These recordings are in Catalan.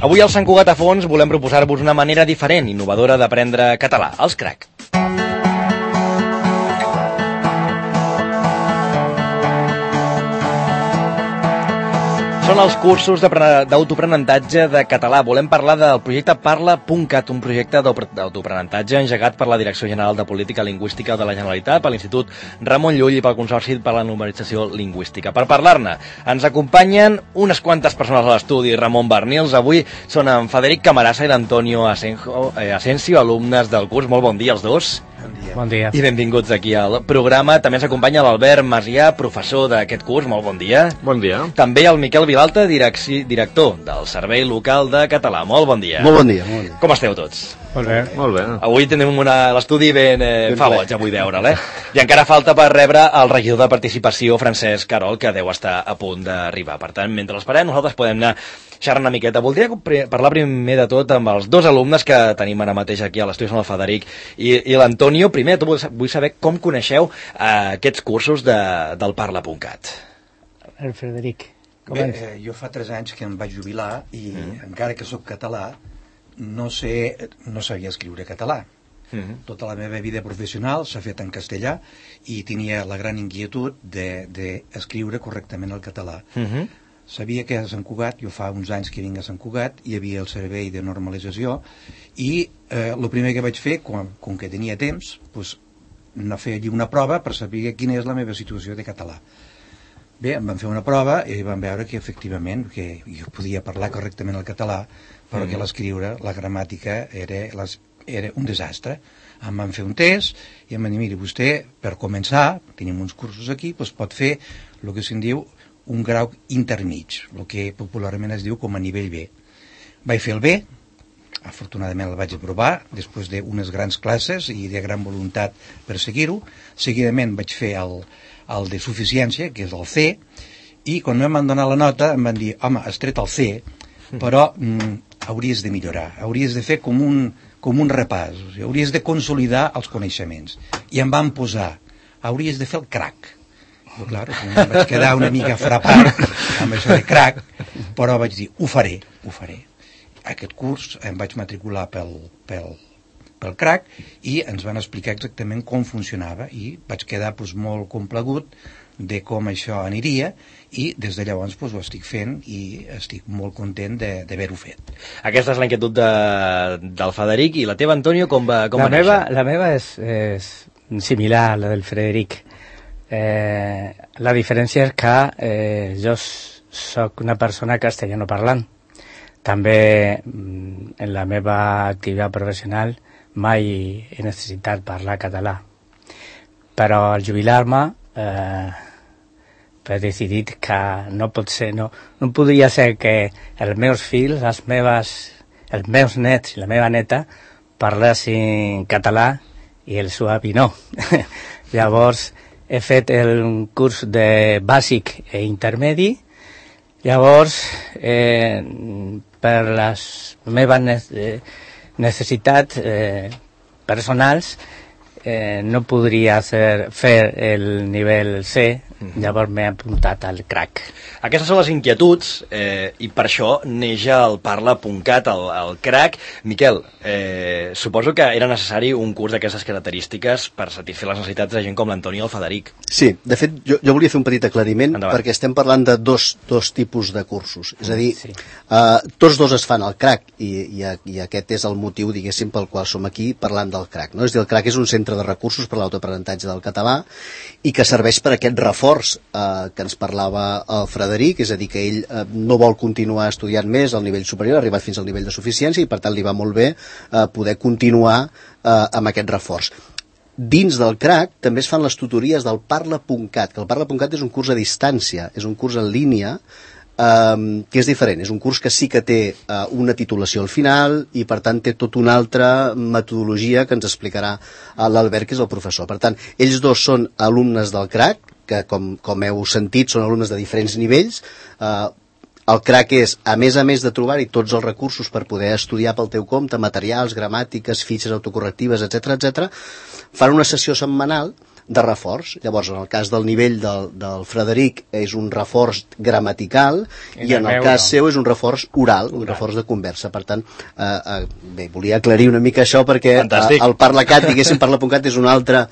Avui al Sant Cugat a Fons volem proposar-vos una manera diferent, innovadora d'aprendre català, els crac. Són els cursos d'autoaprenentatge de català. Volem parlar del projecte Parla.cat, un projecte d'autoaprenentatge engegat per la Direcció General de Política Lingüística de la Generalitat, per l'Institut Ramon Llull i pel Consorci per la Normalització Lingüística. Per parlar-ne, ens acompanyen unes quantes persones a l'estudi. Ramon Barnils, avui són en Frederic Camarasa i l'Antonio Asensio, alumnes del curs. Molt bon dia els dos. Bon dia. I benvinguts aquí al programa. També ens acompanya l'Albert Macià, professor d'aquest curs. Molt bon dia. Bon dia. També el Miquel Vilalta, director del Servei Local de Català. Molt bon dia. Molt bon dia. Molt bon dia. Com esteu tots? Molt bé. Molt bé. Avui tenim l'estudi ben fa boig, avui veure'l, I encara falta per rebre el regidor de Participació, Francesc Carol, que deu estar a punt d'arribar. Per tant, mentre l'esperem, nosaltres podem anar xerrant una miqueta. Voldria parlar primer de tot amb els dos alumnes que tenim ara mateix aquí a l'estudi, són el Frederic i l'Antonio. Primer de tot vull saber com coneixeu aquests cursos del Parla.cat. El Frederic. Bé, jo fa 3 anys que em vaig jubilar i encara que sóc català no sabia escriure català. Tota la meva vida professional s'ha fet en castellà i tenia la gran inquietud d'escriure correctament el català. Sabia que a Sant Cugat, jo fa uns anys que vinc a Sant Cugat, hi havia el servei de normalització i el primer que vaig fer, com que tenia temps, anar a fer allí una prova per saber quina és la meva situació de català. Bé, em van fer una prova i van veure que efectivament que jo podia parlar correctament el català, però que l'escriure, la gramàtica era un desastre. Em van fer un test i em van dir, miri, vostè per començar, tenim uns cursos aquí, pot fer el que se'n diu un grau intermig, el que popularment es diu com a nivell B. Vaig fer el B, afortunadament el vaig aprovar, després d'unes grans classes i de gran voluntat per seguir-ho. Seguidament vaig fer el de suficiència, que és el C, i quan em van donar la nota em van dir, home, has tret el C, però hauries de millorar, hauries de fer com un repàs, o sigui, hauries de consolidar els coneixements. I em van posar, hauries de fer el crac. Però, clar, em vaig quedar una mica frapat amb això de crac, però vaig dir, ho faré. Aquest curs em vaig matricular pel crac i ens van explicar exactament com funcionava i vaig quedar molt complagut de com això aniria i des de llavors ho estic fent i estic molt content d'haver-ho fet. Aquesta és la inquietud del Frederic. I la teva, Antonio, com va néixer? La meva és similar a la del Frederic. La diferència és que jo soc una persona castellanoparlant. També en la meva activitat professional mai he necessitat parlar català. Però al jubilar-me he decidit que no pot ser, no podria ser que els meus fills, els meus nets i la meva neta parlessin català i el seu avi no. Llavors he fet el curs de bàsic i intermedi. Llavors per les meves necessitats personals no podria fer el nivell C, llavors m'he apuntat al crac. Aquestes són les inquietuds i per això neix el Parla.cat, el crac. Miquel, suposo que era necessari un curs d'aquestes característiques per satisfer les necessitats de gent com l'Antoni i el Frederic. Sí, de fet, jo volia fer un petit aclariment. Endavant. Perquè estem parlant de dos tipus de cursos. És a dir, Sí. tots dos es fan al crac i aquest és el motiu, diguéssim, pel qual som aquí parlant del crac. No? És a dir, el crac és un centre de recursos per l'autoaprenentatge del català i que serveix per aquest reforç que ens parlava el Frederic, és a dir, que ell no vol continuar estudiant més al nivell superior, ha arribat fins al nivell de suficiència i per tant li va molt bé poder continuar amb aquest reforç. Dins del crac també es fan les tutories del Parla.cat, que el Parla.cat és un curs a distància, és un curs en línia que és diferent, és un curs que sí que té una titulació al final i per tant té tota una altra metodologia que ens explicarà l'Albert, que és el professor. Per tant, ells dos són alumnes del crac, que com heu sentit són alumnes de diferents nivells. El crac és, a més de trobar-hi tots els recursos per poder estudiar pel teu compte, materials, gramàtiques, fitxes autocorrectives, etc., fan una sessió setmanal de reforç. Llavors, en el cas del nivell del Frederic és un reforç gramatical i en el cas seu és un reforç oral, un reforç de conversa. Per tant, bé, volia aclarir una mica això perquè el ParlaCat, diguéssim, ParlaPuncat és un altre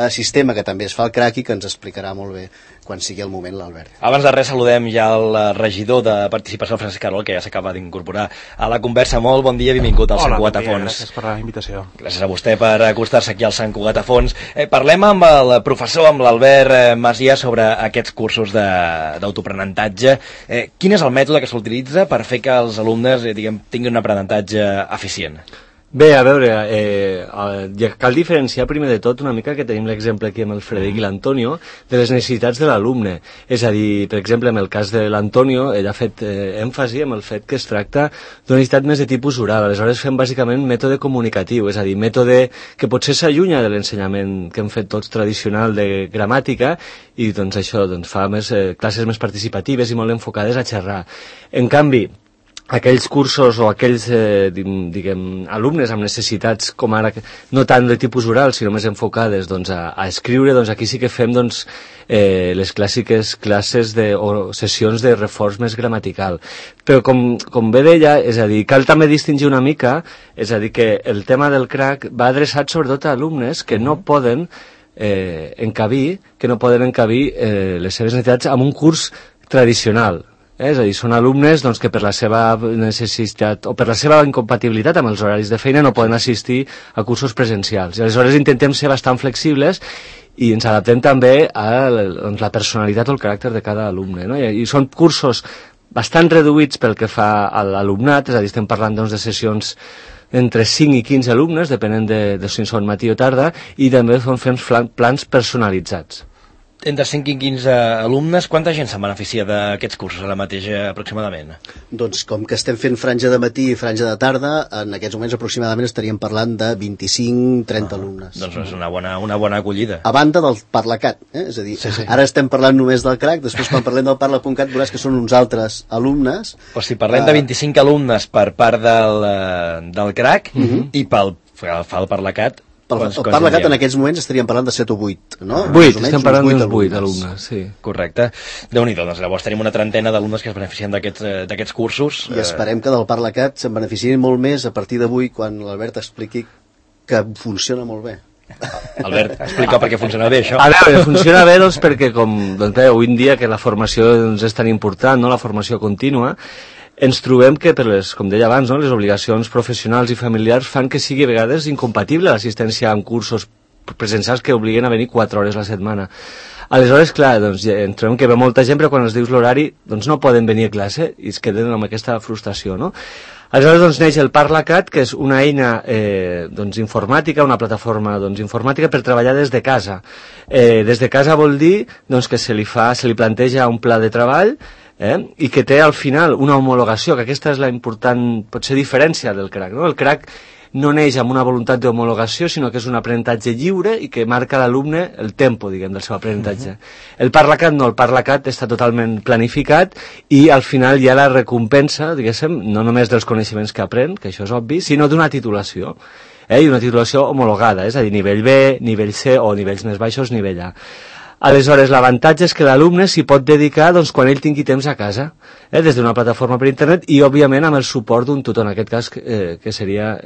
sistema que també es fa al CRAC i que ens explicarà molt bé quan sigui el moment l'Albert. Abans de res saludem ja el regidor de Participació, el Francesc Carol, que ja s'acaba d'incorporar a la conversa. Molt bon dia, benvingut al Sant Cugat a Fons. Gràcies per la invitació. Gràcies a vostè per acostar-se aquí al Sant Cugat a Fons. Parlem amb el professor, amb l'Albert Masia, sobre aquests cursos d'autoaprenentatge. Quin és el mètode que s'utilitza per fer que els alumnes tinguin un aprenentatge eficient? Bé, a veure, cal diferenciar primer de tot una mica, que tenim l'exemple aquí amb el Frederic i l'Antonio, de les necessitats de l'alumne. És a dir, per exemple, en el cas de l'Antonio, ell ha fet èmfasi en el fet que es tracta d'una necessitat més de tipus oral. Aleshores fem bàsicament mètode comunicatiu, és a dir, mètode que potser s'allunya de l'ensenyament que hem fet tots tradicional de gramàtica i doncs això fa classes més participatives i molt enfocades a xerrar. En canvi, aquells cursos o aquells alumnes amb necessitats com ara, no tant de tipus oral sinó més enfocades a escriure, aquí sí que fem les clàssiques classes o sessions de reforç més gramatical. Però com bé deia, és a dir, cal també distingir una mica, és a dir, que el tema del CRAC va adreçat sobretot a alumnes que no poden encabir les seves necessitats en un curs tradicional. És a dir, són alumnes que per la seva necessitat o per la seva incompatibilitat amb els horaris de feina no poden assistir a cursos presencials. I aleshores intentem ser bastant flexibles i ens adaptem també a la personalitat o el caràcter de cada alumne, no? I són cursos bastant reduïts pel que fa a l'alumnat, és a dir, estem parlant de sessions entre 5 i 15 alumnes, depenent de si són matí o tarda, i també fem plans personalitzats. Entre 5 i 15 alumnes, quanta gent se'n beneficia d'aquests cursos ara mateix aproximadament? Doncs com que estem fent franja de matí i franja de tarda, en aquests moments aproximadament estaríem parlant de 25-30 alumnes. Doncs és una bona acollida. A banda del ParlaCat, és a dir, ara estem parlant només del CRAC, després quan parlem del ParlaPuncat veuràs que són uns altres alumnes. O si parlem de 25 alumnes per part del CRAC i pel ParlaCat, el ParlaCat en aquests moments estaríem parlant de 7 o 8, no? 8, estem parlant d'uns 8 alumnes, sí. Correcte. Déu-n'hi-do, doncs llavors tenim una trentena d'alumnes que es beneficien d'aquests cursos. I esperem que del ParlaCat se'n beneficiïn molt més a partir d'avui, quan l'Albert expliqui que funciona molt bé. Albert, explica per què funciona bé això. A veure, funciona bé perquè avui en dia que la formació és tan important, la formació contínua, ens trobem que, com deia abans, les obligacions professionals i familiars fan que sigui a vegades incompatible l'assistència en cursos presencials que obliguen a venir 4 hores a la setmana. Aleshores, clar, ens trobem que ve molta gent, però quan els dius l'horari no poden venir a classe i es queden amb aquesta frustració, no? Aleshores neix el ParlaCat, que és una eina informàtica, una plataforma informàtica per treballar des de casa. Des de casa vol dir que se li planteja un pla de treball i que té al final una homologació, que aquesta és la important, potser, diferència del CRAC, no? El CRAC no neix amb una voluntat d'homologació, sinó que és un aprenentatge lliure i que marca a l'alumne el tempo, del seu aprenentatge. El ParlaCat no, el ParlaCat està totalment planificat i al final hi ha la recompensa, no només dels coneixements que aprèn, que això és obvi, sinó d'una titulació, i una titulació homologada, és a dir, nivell B, nivell C o nivells més baixos, nivell A. Aleshores, l'avantatge és que l'alumne s'hi pot dedicar quan ell tingui temps a casa, des d'una plataforma per internet i, òbviament, amb el suport d'un tutor, en aquest cas, que seria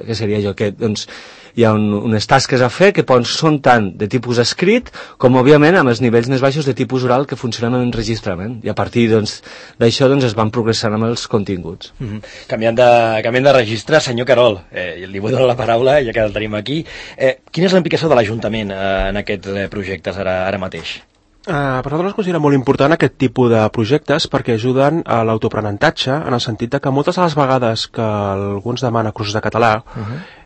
jo, que hi ha unes tasques a fer que són tant de tipus escrit com, òbviament, amb els nivells més baixos de tipus oral que funcionen en enregistrament. I a partir d'això es van progressant amb els continguts. Canviant de registre, senyor Carol, li vull donar la paraula, ja que el tenim aquí. Quina és la implicació de l'Ajuntament en aquests projectes ara mateix? Per nosaltres es considera molt important aquest tipus de projectes perquè ajuden a l'autoaprenentatge, en el sentit que moltes de les vegades que algú ens demana cursos de català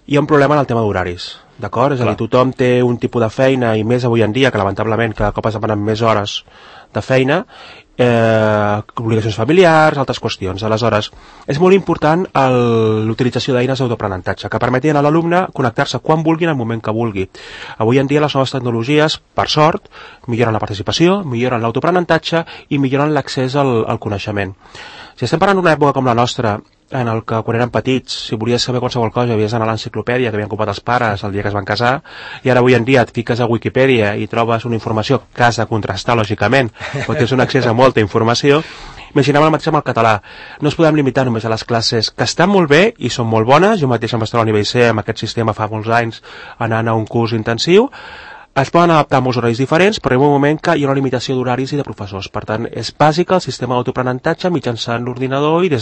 hi ha un problema en el tema d'horaris, d'acord? És a dir, tothom té un tipus de feina i més avui en dia, que lamentablement cada cop es demanen més hores de feina, obligacions familiars, altres qüestions. Aleshores, és molt important l'utilització d'eines d'autoaprenentatge que permetin a l'alumne connectar-se quan vulgui en el moment que vulgui. Avui en dia les noves tecnologies, per sort, milloren la participació, milloren l'autoaprenentatge i milloren l'accés al coneixement. Si estem parlant d'una època com la nostra, en el que quan eren petits, si volies saber qualsevol cosa, havies d'anar a l'enciclopèdia que havien comprat els pares el dia que es van casar, i ara avui en dia et fiques a Wikipedia i trobes una informació que has de contrastar, lògicament, però tens un accés a molta informació. Imaginem el mateix amb el català. No es podem limitar només a les classes, que estan molt bé i són molt bones. Jo mateix em vaig estar a nivell C amb aquest sistema fa molts anys anant a un curs intensiu. Es poden adaptar a molts horaris diferents, però hi ha un moment que hi ha una limitació d'horaris i de professors. Per tant, és bàsic el sistema d'autoaprenentatge mitjançant l'ordinador i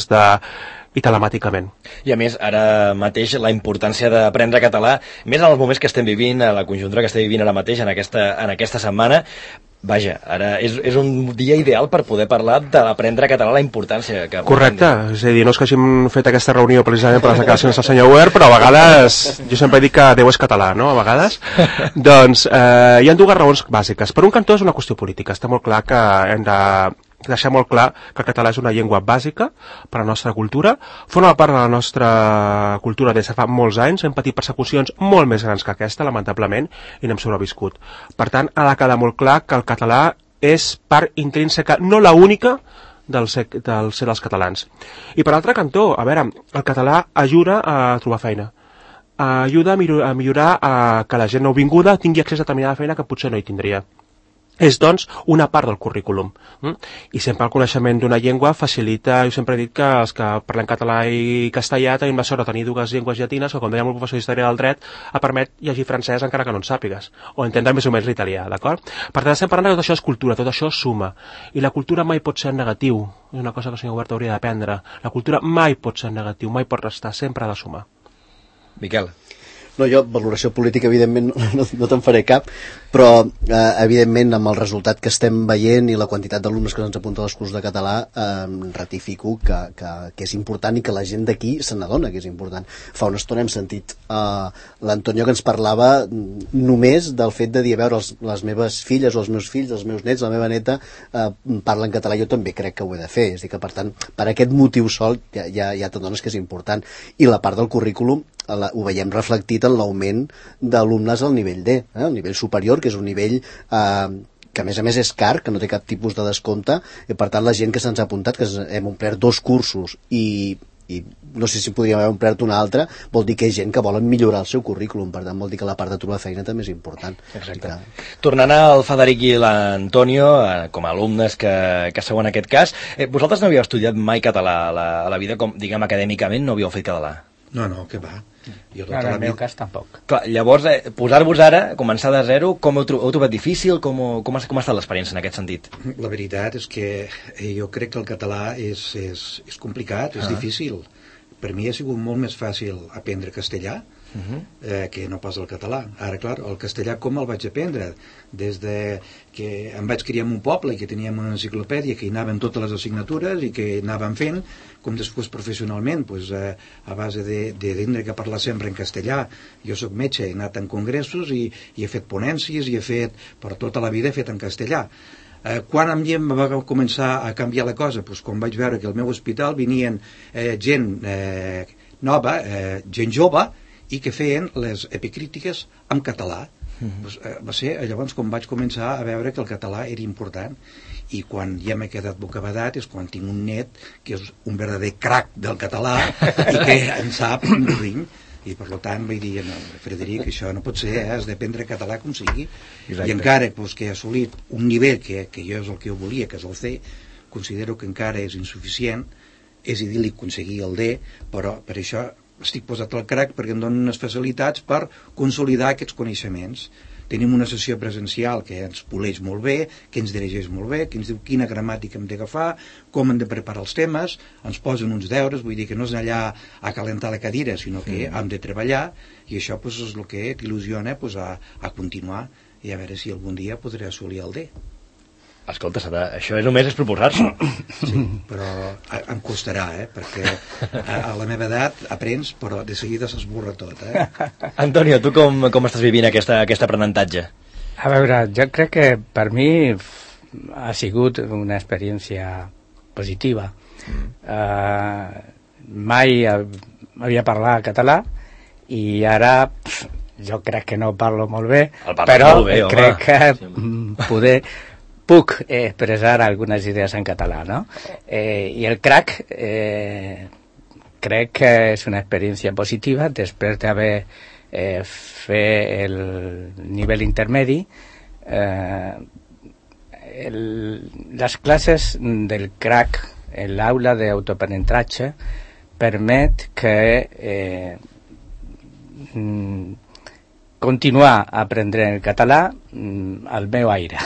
telemàticament. I a més, ara mateix la importància d'aprendre català, més en els moments que estem vivint, a la conjuntura que estem vivint ara mateix, en aquesta setmana, vaja, ara és un dia ideal per poder parlar de l'aprendre català, la importància que... Correcte, és a dir, no és que hàgim fet aquesta reunió precisament per les declaracions del senyor Weir, però a vegades, jo sempre dic que Déu és català, no?, a vegades. Doncs hi ha dues raons bàsiques. Per un cantó és una qüestió política, està molt clar que hem de deixar molt clar que el català és una llengua bàsica per a la nostra cultura, forma part de la nostra cultura des de fa molts anys, hem patit persecucions molt més grans que aquesta, lamentablement, i n'hem sobreviscut. Per tant, ha de quedar molt clar que el català és part intrínseca, no la única, del ser dels catalans. I per altre cantó, a veure, el català ajuda a trobar feina, ajuda a millorar que la gent nouvinguda tingui accés a determinada feina que potser no hi tindria. És, doncs, una part del currículum. I sempre el coneixement d'una llengua facilita, jo sempre he dit que els que parlem català i castellà tenim la sort de tenir dues llengües llatines, o com deia el professor d'Història del Dret, permet llegir francès encara que no en sàpigues, o entendre més o menys l'italià, d'acord? Per tant, estem parlant que tot això és cultura, tot això suma, i la cultura mai pot ser negatiu, és una cosa que el senyor Huerta hauria d'aprendre, la cultura mai pot ser negatiu, mai pot restar, sempre ha de sumar. Miquel. No, jo, valoració política, evidentment, no te'n faré cap, però, evidentment, amb el resultat que estem veient i la quantitat d'alumnes que ens apunten als cursos de català, ratifico que és important i que la gent d'aquí se n'adona que és important. Fa una estona hem sentit l'Antonio que ens parlava només del fet de dir, a veure, les meves filles o els meus fills, els meus nets, la meva neta, parlen català, jo també crec que ho he de fer. És a dir, que, per tant, per aquest motiu sol ja t'adones que és important. I la part del currículum ho veiem reflectit en l'augment d'alumnes al nivell D, el nivell superior, que és un nivell que a més és car, que no té cap tipus de descompte, i per tant la gent que se'ns ha apuntat, que hem omplert 2 cursos i no sé si podríem haver omplert un altre, vol dir que hi ha gent que volen millorar el seu currículum, per tant vol dir que la part de trobar feina també és important. Exacte. Tornant al Federic i l'Antonio, com a alumnes que seuen aquest cas, vosaltres no havíeu estudiat mai català a la vida, com diguem acadèmicament, no havíeu fet català? No, què va. En el meu cas tampoc. Clar, llavors, posar-vos ara, començar de zero, com heu trobat difícil? Com ha estat l'experiència en aquest sentit? La veritat és que jo crec que el català és complicat, és difícil. Per mi ha sigut molt més fàcil aprendre castellà que no pas el català. Ara, clar, el castellà com el vaig aprendre? Des de que em vaig criar en un poble i que teníem una enciclopèdia que hi anaven totes les assignatures i que anàvem fent, com després professionalment, a base de tindre que parlar sempre en castellà. Jo soc metge, he anat en congressos i he fet ponències i he fet, per tota la vida he fet en castellà. Quan em va començar a canviar la cosa? Quan vaig veure que al meu hospital venien gent nova, gent jove, i que feien les epicrítiques en català. Va ser llavors quan vaig començar a veure que el català era important, i quan ja m'he quedat bocabadat és quan tinc un net que és un verdader crac del català i que en sap un ring, i per tant vaig dir, no, Frederic, això no pot ser, has d'aprendre català com sigui. Exacte. I encara que he assolit un nivell que jo és el que jo volia, que és el C, considero que encara és insuficient. És idíl·lic aconseguir el D, però per això estic posat al crac, perquè em donen unes facilitats per consolidar aquests coneixements. Tenim una sessió presencial que ens poleix molt bé, que ens dirigeix molt bé, que ens diu quina gramàtica hem d'agafar, com hem de preparar els temes, ens posen uns deures, vull dir que no és allà a calentar la cadira, sinó que hem de treballar, i això és el que t'il·lusiona a continuar i a veure si algun dia podré assolir el D. Escolta, això només és proposar-s'ho. Sí, però em costarà, perquè a la meva edat aprens, però de seguida s'esborra tot. Antonio, tu com estàs vivint aquest aprenentatge? A veure, jo crec que per mi ha sigut una experiència positiva. Mai havia parlat català i ara jo crec que no parlo molt bé, però molt bé, crec que puc expressar algunes idees en català, no? I el crac crec que és una experiència positiva després d'haver fet el nivell intermedi. Les classes del CRAC en l'aula d'autoaprenentatge permet que continuar aprenent el català al meu aire,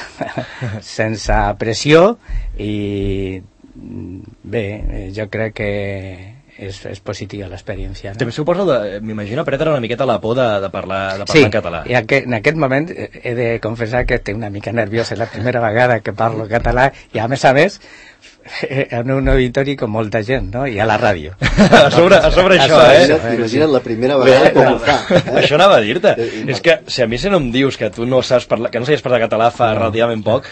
sense pressió, i bé, jo crec que és positiva l'experiència. També suposo, m'imagino, perdre una miqueta la por de parlar sí, en català. Sí, en aquest moment he de confessar que estic una mica nerviós, és la primera vegada que parlo català, i a més en un auditori com molta gent, no? I a la ràdio. a sobre això, Imagina't la primera vegada com ho fa. Això anava a dir-te. És que si a mi no em dius que tu no saps parlar, que no sabies parlar català fa relativament poc,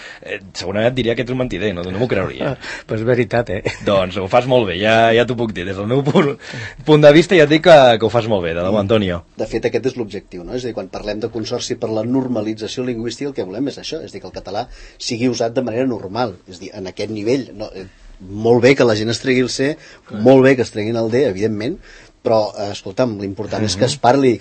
segurament et diria que ets un mentider, no m'ho creuria. Pues veritat, Doncs ho fas molt bé, ja t'ho puc dir. Des del meu punt de vista ja et dic que ho fas molt bé, de debò, Antonio. De fet, aquest és l'objectiu, no? És a dir, quan parlem de consorci per la normalització lingüística, el que volem és això, és dir, que el català sigui usat de manera normal, és dir, en aquest nivell. No, molt bé que la gent es tregui el C, molt bé que es treguin el D, evidentment, però, escolta'm, l'important és que es parli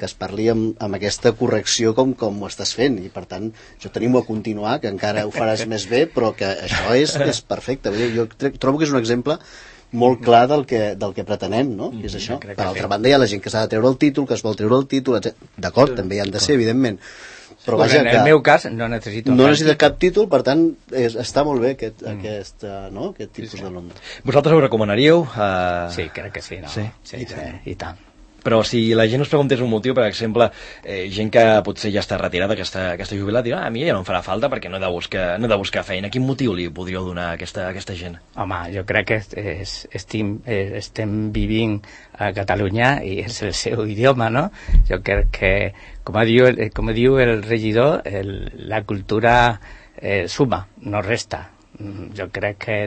amb aquesta correcció com ho estàs fent, i per tant, jo t'animo a continuar, que encara ho faràs més bé, però que això és perfecte. Jo trobo que és un exemple molt clar del que pretenem, no? És això. Per altra banda, hi ha la gent que s'ha de treure el títol, que es vol treure el títol, d'acord, també hi han de ser, evidentment. Però vaja, en el meu cas no necessita cap títol, per tant està molt bé aquest tipus d'alumne. Vosaltres ho recomanaríeu? Sí, crec que sí, no? Sí, i tant. Però si la gent us preguntés un motiu, per exemple, gent que potser ja està retirada, que està jubilat, dirà, a mi ja no em farà falta perquè no he de buscar feina. Quin motiu li podríeu donar a aquesta gent? Home, jo crec que estem vivint a Catalunya i és el seu idioma, no? Jo crec que, com diu el regidor, la cultura suma, no resta. Jo crec que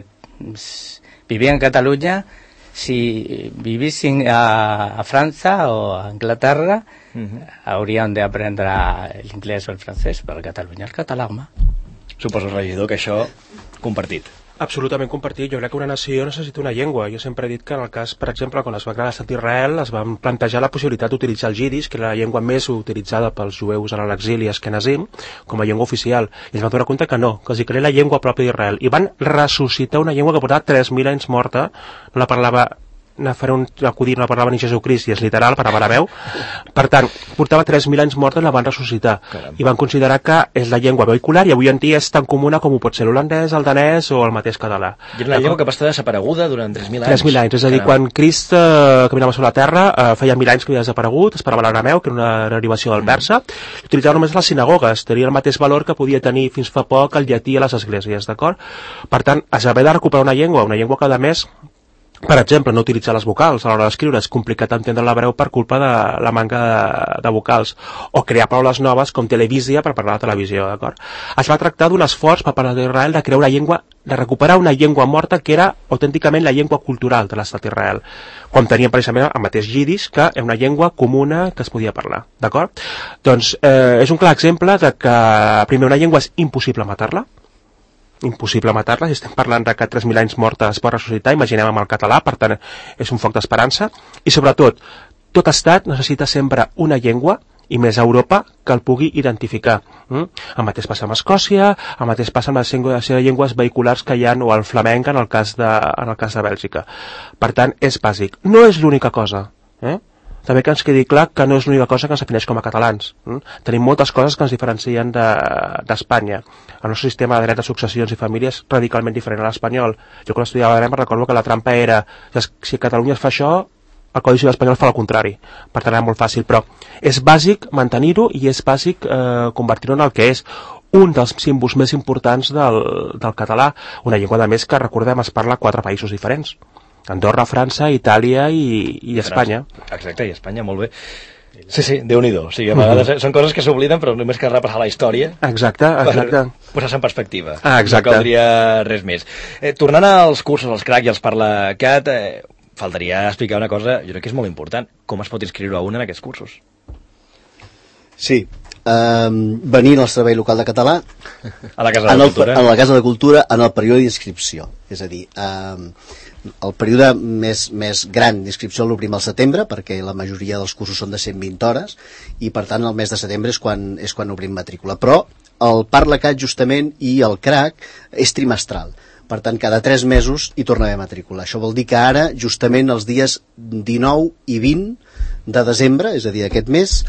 vivir en Catalunya, si vivissin a França o a Anglaterra, hauríem d'aprendre l'inglès o el francès, però a Catalunya el català, home. Suposo, regidor, que això compartit. Absolutament compartit. Jo crec que una nació necessita una llengua. Jo sempre he dit que en el cas, per exemple, quan es va crear l'estat d'Israel, es van plantejar la possibilitat d'utilitzar el jiddisch, que era la llengua més utilitzada pels jueus en l'exili askenazim, com a llengua oficial. I es van donar compte que no, que els hi crea la llengua pròpia d'Israel. I van ressuscitar una llengua que portava 3.000 anys morta, no la parlava acudit, no la parlava ni Jesucrist, i és literal, per arameu. Per tant, portava 3.000 anys morta i la van ressuscitar. Caram. I van considerar que és la llengua vehicular i avui en dia és tan comuna com ho pot ser l'holandès, el danès o el mateix català. I era una llengua que va estar desapareguda durant 3.000 anys. 3.000 anys, és a dir, quan Crist caminava sobre la Terra, feia 1.000 anys que havia desaparegut, es parlava l'arameu, que era una derivació del persa, l'utilitzava només a les sinagogues, tenia el mateix valor que podia tenir fins fa poc el llatí a les esglésies, d'acord? Per tant, es va haver de recuperar una llengua que a més, per exemple, no utilitzar les vocals a l'hora d'escriure, és complicat entendre l'hebreu per culpa de la manca de vocals, o crear paraules noves com televisió per parlar de televisió, d'acord? Es va tractar d'un esforç per part d'Israel de crear una llengua, de recuperar una llengua morta que era autènticament la llengua cultural de l'estat d'Israel, com tenien precisament el mateix jiddisch, que és una llengua comuna que es podia parlar, d'acord? Doncs és un clar exemple de que, primer, una llengua és impossible matar-la, si estem parlant de que 3.000 anys morta es pot ressuscitar, imaginem amb el català, per tant és un foc d'esperança, i sobretot tot estat necessita sempre una llengua, i més a Europa, que el pugui identificar. El mateix passa amb Escòcia, el mateix passa amb les llengües vehiculars que hi ha, o el flamenc en el cas de Bèlgica. Per tant, és bàsic. No és l'única cosa, també que ens quedi clar que no és l'única cosa que ens defineix com a catalans. Tenim moltes coses que ens diferencien d'Espanya. El nostre sistema de dret de successions i famílies és radicalment diferent a l'espanyol. Jo quan estudiava dret recordo que la trampa era si a Catalunya es fa això, el Codi Civil espanyol fa el contrari. Per tant, era molt fàcil, però és bàsic mantenir-ho i és bàsic convertir-ho en el que és un dels símbols més importants del català, una llengua de més que, recordem, es parla a 4 països diferents. Andorra, França, Itàlia i Espanya. Exacte, i Espanya, molt bé. Sí, Déu-n'hi-do. O sigui, a vegades són coses que s'obliden, però només cal repassar la història. Exacte. Per posar-se en perspectiva. Exacte. No caldria res més. Tornant als cursos, als CRAC i als ParlaCat, faltaria explicar una cosa, jo crec que és molt important. Com es pot inscriure a un en aquests cursos? Sí. venint al Servei Local de Català a la Casa de Cultura. A la Casa de Cultura en el període d'inscripció. És a dir, el període més gran d'inscripció l'obrim al setembre, perquè la majoria dels cursos són de 120 hores, i per tant el mes de setembre és quan obrim matrícula. Però el ParlaCat justament i el CRAC és trimestral. Per tant, cada 3 mesos hi torna a haver matrícula. Això vol dir que ara, justament els dies 19 i 20 de desembre, és a dir, aquest mes,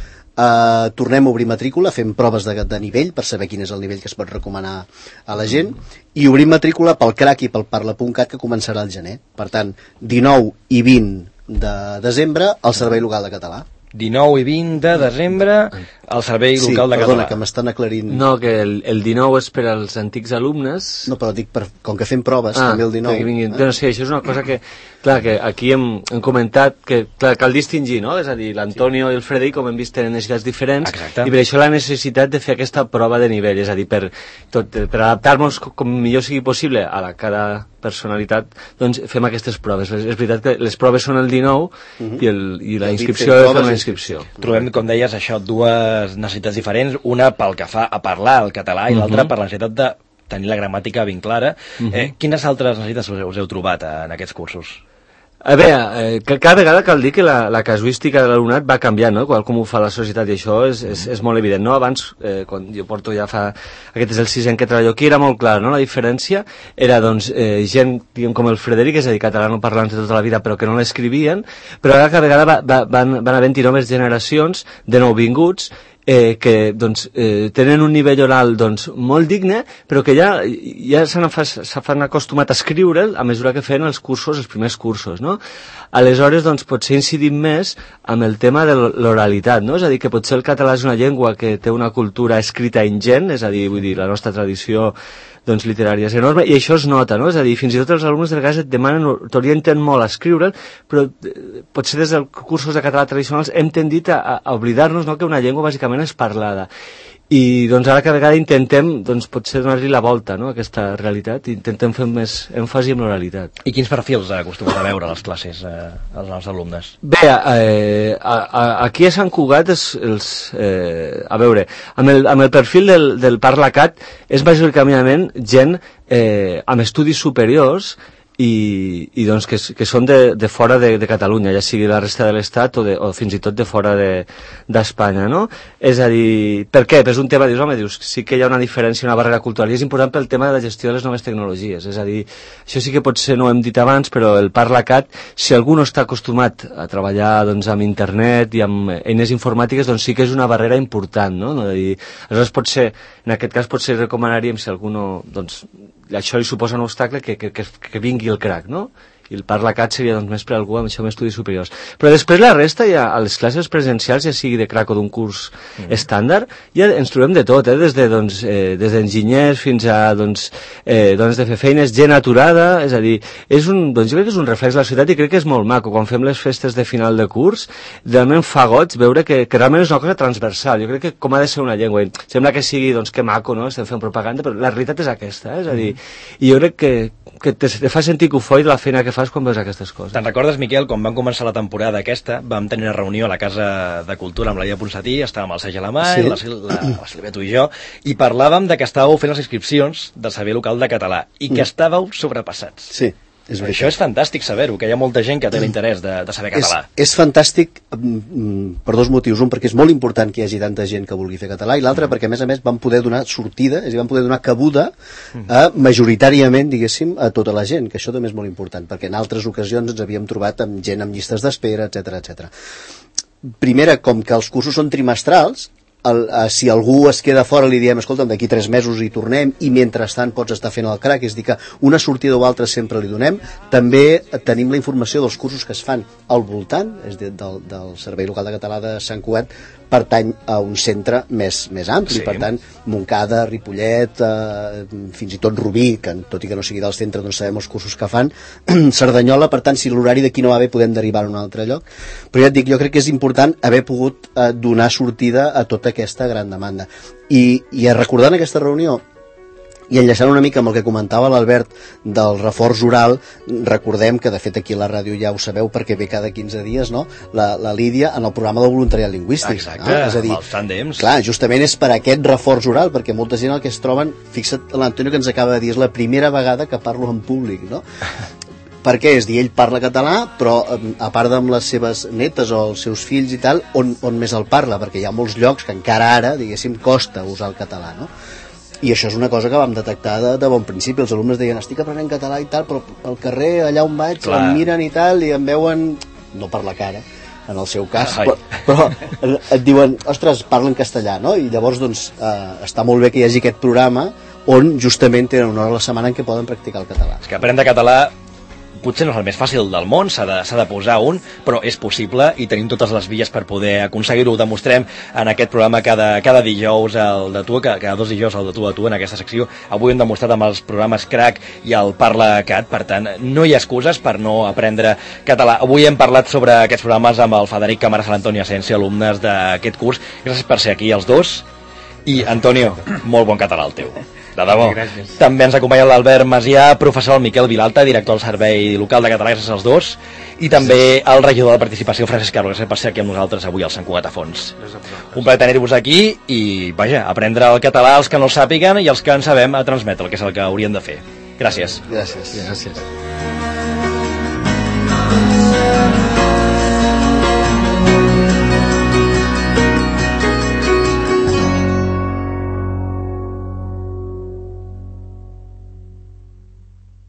tornem a obrir matrícula, fem proves de nivell per saber quin és el nivell que es pot recomanar a la gent, i obrim matrícula pel CRAC i pel Parla.cat, que començarà al gener. Per tant, 19 i 20 de desembre al Servei Local de Català. 19 i 20 de desembre al Servei Local de Català. Perdona, que m'estan aclarint. No, que el 19 és per als antics alumnes. No, però dic, com que fem proves, també el 19. No, sí, això és una cosa que, clar, que aquí hem comentat que clar, cal distingir, no? És a dir, l'Antonio i el Frederic, com hem vist, tenen necessitats diferents. Exacte. I per això la necessitat de fer aquesta prova de nivell, és a dir, per adaptar-nos com millor sigui possible a la cada personalitat, doncs fem aquestes proves. És veritat que les proves són el 19 i la inscripció és una inscripció. Trobem, com deies, això, dues necessitats diferents, una pel que fa a parlar el català i l'altra per la necessitat de tenir la gramàtica ben clara. Quines altres necessitats us heu trobat en aquests cursos? A veure, cada vegada cal dir que la casuística de l'alumnat va canviant, no? Com ho fa la societat, i això és molt evident, no? Abans, quan jo porto ja aquest és el 6è en què treballo aquí, era molt clar, no? La diferència era, doncs, gent, diguem, com el Frederic, és a dir, catalanoparlants de tota la vida, però que no l'escrivien, però ara cada vegada van havent-hi noves generacions de nouvinguts que doncs, tenen un nivell oral doncs, molt digne, però que ja s'han acostumat a escriure'l a mesura que feien els primers cursos, no? Aleshores, doncs, potser incidim més amb el tema de l'oralitat, no? És a dir, que potser el català és una llengua que té una cultura escrita ingent, és a dir, vull dir, la nostra tradició doncs, literària és enorme, i això es nota, no? És a dir, fins i tot els alumnes de vegades et demanen, t'orienten molt a escriure'l, però potser des dels cursos de català tradicionals hem tendit a oblidar-nos, no?, que una llengua bàsicament és parlada. I doncs ara cada vegada intentem doncs, potser donar-li la volta, no?, a aquesta realitat, i intentem fer més èmfasi en l'oralitat. I quins perfils acostumen a veure a les classes als nostres alumnes? Bé, aquí a Sant Cugat a veure, amb el perfil del ParlaCat és majoritàriament gent amb estudis superiors i doncs que són de fora de Catalunya, ja sigui la resta de l'Estat o fins i tot de fora d'Espanya, no? És a dir, per què? És un tema, dius, sí que hi ha una diferència, una barrera cultural, i és important pel tema de la gestió de les noves tecnologies, és a dir, això sí que potser no ho hem dit abans, però el ParlaCat, si algú no està acostumat a treballar doncs, amb internet i amb eines informàtiques, doncs sí que és una barrera important, no? Aleshores, potser, en aquest cas, potser recomanaríem, si algú no, doncs, això li suposa un obstacle, que vingui el CRAC, no? I el ParlaCat seria doncs, més per a algú amb això amb estudis superiors. Però després la resta, ja, a les classes presencials, ja sigui de CRAC o d'un curs estàndard, ja ens trobem de tot, des d'enginyers fins a dones de fer feines, gent aturada, és a dir, jo crec que és un reflex de la societat i crec que és molt maco. Quan fem les festes de final de curs, realment fa goig veure que realment és una cosa transversal. Jo crec que com ha de ser una llengua, sembla que sigui, doncs, que maco, no?, estem fent propaganda, però la realitat és aquesta, és a dir, i jo crec que te fa sentir cofoi de la feina que fas quan veus aquestes coses. Te'n recordes, Miquel, quan vam començar la temporada aquesta, vam tenir una reunió a la Casa de Cultura amb la Laia Ponsatí, estàvem el Sergi Alamany, la Sílvia, tu i jo, i parlàvem de que estàveu fent les inscripcions del Servei Local de Català i que estàveu sobrepassats. Sí. Això és fantàstic saber-ho, que hi ha molta gent que té l'interès de saber català. És fantàstic per dos motius. Un, perquè és molt important que hi hagi tanta gent que vulgui fer català, i l'altre, perquè a més van poder donar sortida, és a dir, van poder donar cabuda majoritàriament, diguéssim, a tota la gent, que això també és molt important, perquè en altres ocasions ens havíem trobat amb gent amb llistes d'espera, etc. Primera, com que els cursos són trimestrals, si algú es queda fora li diem, escolta'm, d'aquí 3 mesos hi tornem, i mentrestant pots estar fent el CRAC, és a dir que una sortida o altra sempre li donem. També tenim la informació dels cursos que es fan al voltant, és a dir, del Servei Local de Català de Sant Cugat pertany a un centre més ampli, sí. Per tant, Montcada, Ripollet, fins i tot Rubí, que tot i que no sigui del centre, doncs sabem els cursos que fan, Cerdanyola, per tant, si l'horari d'aquí no va bé, podem derivar a un altre lloc. Però ja et dic, jo crec que és important haver pogut donar sortida a tota aquesta gran demanda. I recordant aquesta reunió, I enllaçant una mica amb el que comentava l'Albert del reforç oral, recordem que de fet aquí a la ràdio ja ho sabeu perquè ve cada 15 dies, no? La Lídia en el programa del voluntariat lingüístic. Exacte, no? És a dir, els tàndems. clar, justament és per aquest reforç oral, perquè molta gent el que es troben, fixa't l'Antonio que ens acaba de dir, és la primera vegada que parlo en públic, no? Per què? És dir, ell parla català, però a part amb les seves netes o els seus fills i tal, on més el parla? Perquè hi ha molts llocs que encara ara, diguéssim, costa usar el català, no? I això és una cosa que vam detectar de bon principi. Els alumnes deien, estic aprenent català i tal, però al carrer, allà on vaig, em miren i tal, i em veuen, no per la cara, en el seu cas, però et diuen, ostres, parlen castellà, no? I llavors, doncs, està molt bé que hi hagi aquest programa on justament tenen una hora a la setmana en què poden practicar el català. És que aprendre català potser no és el més fàcil del món, s'ha de posar un, però és possible i tenim totes les vies per poder aconseguir-ho. Ho demostrem en aquest programa cada dijous, el de tu, cada 2 dijous el de tu a tu en aquesta secció. Avui hem demostrat amb els programes Crack i el Parla Cat, per tant, no hi ha excuses per no aprendre català. Avui hem parlat sobre aquests programes amb el Frederic Camarasa i l'Antoni Asensio, alumnes d'aquest curs. Gràcies per ser aquí, els dos. I, Antonio, molt bon català el teu. De debò. Gràcies. També ens acompanya l'Albert Macià, professor el Miquel Vilalta, director del Servei Local de Català, gràcies als dos, i també el regidor de Participació, Francesc Carlo, gràcies per ser aquí amb nosaltres avui al Sant Cugat a Fons. Un plaer tenir-vos aquí i, vaja, aprendre el català els que no el sàpiguen i els que en sabem a transmetre, que és el que haurien de fer. Gràcies. Gràcies. Gràcies.